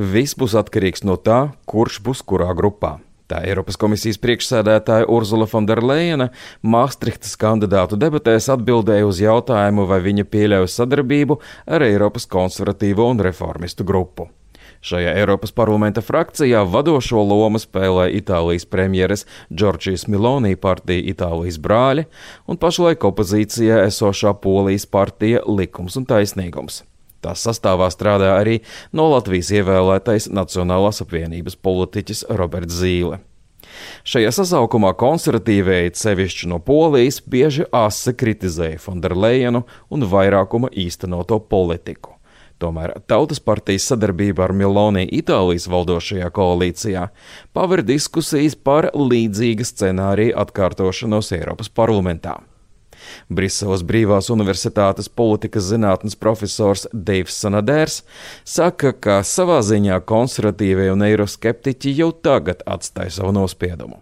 Viss būs atkarīgs no tā, kurš būs kurā grupā. Tā Eiropas komisijas priekšsēdētāja Ursula von der Leyena Maastrichtas kandidātu debatēs atbildēja uz jautājumu, vai viņa pieļauj sadarbību ar Eiropas konservatīvo un reformistu grupu. Šajā Eiropas parlamenta frakcijā vadošo lomu spēlē Itālijas premjeres Džordžijas Meloni partija Itālijas brāļi un pašlaik opozīcijā esošā Polijas partija Likums un taisnīgums. Tās sastāvā strādā arī no Latvijas ievēlētais Nacionālās apvienības politiķis Roberts Zīle. Šajā sasaukumā konservatīvēji, sevišķi no Polijas, bieži asi kritizēja von der Leyenu un vairākuma īstenoto politiku. Tomēr Tautas partijas sadarbība ar Meloni Itālijas valdošajā koalīcijā paver diskusijas par līdzīga scenārija atkārtošanos Eiropas parlamentā. Briseles Brīvās universitātes politikas zinātnes profesors Deivs Sanadērs saka, ka savā ziņā konservatīvie un eiroskeptiķi jau tagad atstāja savu nospiedumu.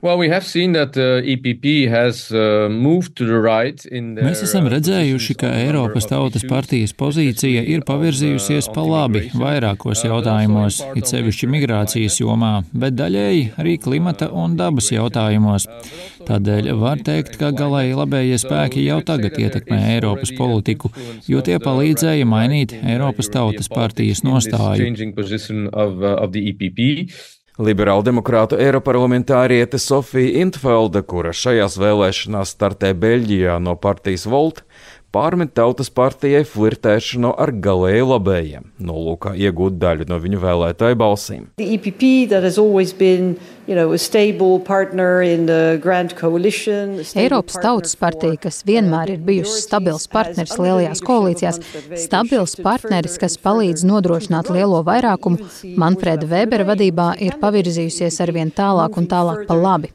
Mēs esam redzējuši, ka Eiropas Tautas partijas pozīcija ir pavirzījusies pa labi vairākos jautājumos, it sevišķi migrācijas jomā, bet daļēji arī klimata un dabas jautājumos. Tādēļ var teikt, ka galēji labējie spēki jau tagad ietekmē Eiropas politiku, jo tie palīdzēja mainīt Eiropas Tautas partijas nostāju. Liberāldemokrātu eiroparlamentāriete Sofija Intvelda, kura šajās vēlēšanās startē Beļģijā no partijas Volt, pārmet Tautas partijai flirtēšanu ar galēji labējiem, nolūkā iegūt daļu no viņu vēlētāju balsīm. Eiropas Tautas partija, kas vienmēr ir bijusi stabils partneris lielajās koalīcijās, stabils partneris, kas palīdz nodrošināt lielo vairākumu, Manfreda Vēbera vadībā ir pavirzījusies arvien tālāk un tālāk pa labi.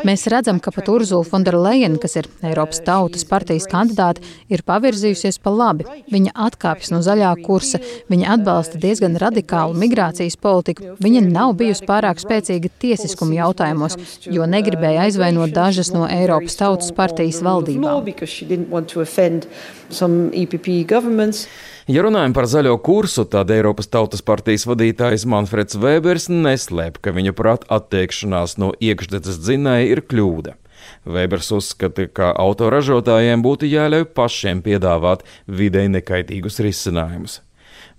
Mēs redzam, ka pat Ursula von der Leyen, kas ir Eiropas Tautas partijas kandidāte, ir pavirzījusies pa labi. Viņa atkāpjas no zaļā kursa, viņa atbalsta diezgan radikālu migrācijas politiku, viņa nav bijusi pārāk spēcīga tiesiskuma jautājumos, jo negribēja aizvainot dažas no Eiropas Tautas partijas valdībām. Ja runājam par zaļo kursu, tad Eiropas Tautas partijas vadītājs Manfreds Vēbers neslēp, ka viņa prāt attiekšanās no iekšdedzes dzinēja ir kļūda. Vēbers uzskata, ka autoražotājiem būtu jāļauj pašiem piedāvāt videi nekaitīgus risinājumus.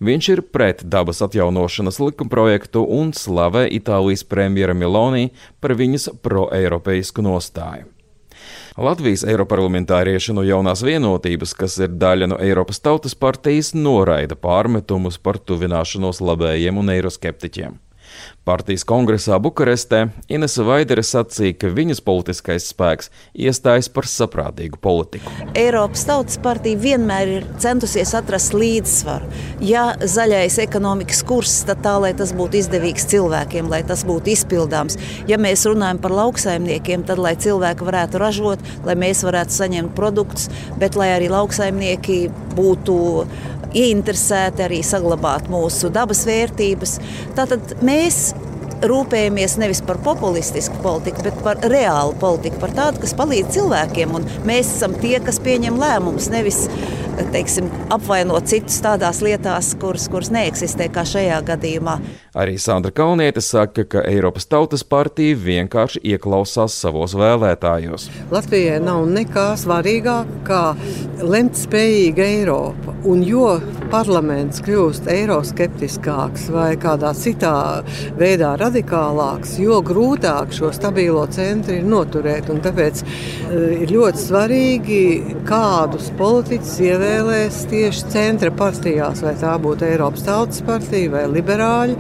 Viņš ir pret dabas atjaunošanas likumprojektu un slavē Itālijas premjera Meloni par viņas pro-eiropeisku nostāju. Latvijas eiroparlamentārieši no Jaunās vienotības, kas ir daļa no Eiropas Tautas partijas, noraida pārmetumus par tuvināšanos labējiem un eiroskeptiķiem. Partijas kongresā Bukarestē Inese Vaidere sacīja, ka viņas politiskais spēks iestājas par saprātīgu politiku. Eiropas Tautas partija vienmēr ir centusies atrast līdzsvaru. Ja zaļais ekonomikas kurs, tad tā, lai tas būtu izdevīgs cilvēkiem, lai tas būtu izpildāms. Ja mēs runājam par lauksaimniekiem, tad lai cilvēki varētu ražot, lai mēs varētu saņemt produktus, bet lai arī lauksaimnieki būtu ieinteresēti arī saglabāt mūsu dabas vērtības. Tātad mēs rūpējamies nevis par populistisku politiku, bet par reālu politiku, par tādu, kas palīdz cilvēkiem. Un mēs esam tie, kas pieņem lēmumus, nevis, teiksim, apvainot citus tādās lietās, kuras neeksistē, kā šajā gadījumā. Arī Sandra Kalniete saka, ka Eiropas Tautas partija vienkārši ieklausās savos vēlētājos. Latvijai nav nekā svarīgāk kā lemt spējīga Eiropa. Un jo parlaments kļūst eiroskeptiskāks vai kādā citā veidā radikālāks, jo grūtāk šo stabilo centru ir noturēt. Un tāpēc ir ļoti svarīgi, kādus politiķus ievēlēs tieši centra partijās, vai tā būtu Eiropas Tautas partija vai liberāļi.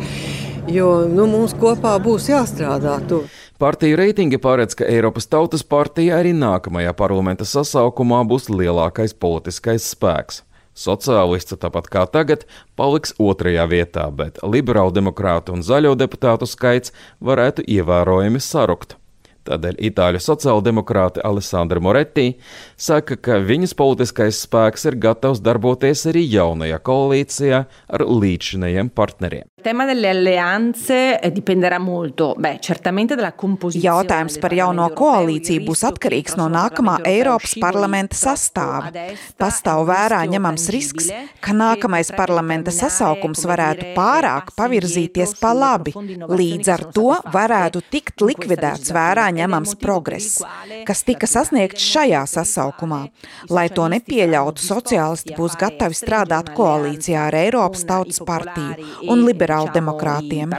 Jo mums kopā būs jāstrādā tur. Partiju reitingi paredz, ka Eiropas Tautas partija arī nākamajā parlamenta sasaukumā būs lielākais politiskais spēks. Sociālisti, tāpat kā tagad, paliks otrajā vietā, bet liberāldemokrātu un zaļo deputātu skaits varētu ievērojami sarukt. Tādēļ itāļu sociāldemokrāte Alessandra Moretti saka, ka viņas politiskais spēks ir gatavs darboties arī jaunajā koalīcijā ar līdzšinējiem partneriem. Jautājums par jauno koalīciju būs atkarīgs no nākamā Eiropas parlamenta sastāva. Pastāv vērā ņemams risks, ka nākamais parlamenta sasaukums varētu pārāk pavirzīties pa labi. Līdz ar to varētu tikt likvidēts vērā ņemams progress, kas tika sasniegts šajā sasaukumā. Lai to nepieļautu, sociālisti būs gatavi strādāt koalīcijā ar Eiropas Tautas partiju un liberālu demokrātiem.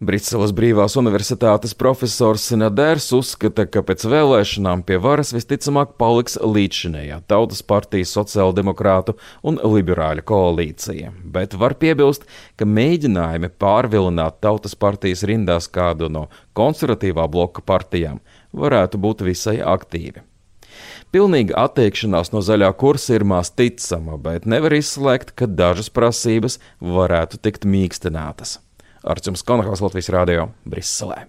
Briseles Brīvās universitātes profesors Nadērs uzskata, ka pēc vēlēšanām pie varas visticamāk paliks līdzšinējā Tautas partijas, sociāldemokrātu un liberāļu koalīcija. Bet var piebilst, ka mēģinājumi pārvilināt Tautas partijas rindās kādu no konservatīvā bloka partijām varētu būt visai aktīvi. Pilnīga atteikšanās no zaļā kursa ir maz ticama, bet nevar izslēgt, ka dažas prasības varētu tikt mīkstinātas. Arčuns Konahals, Latvijas radio, Briselē.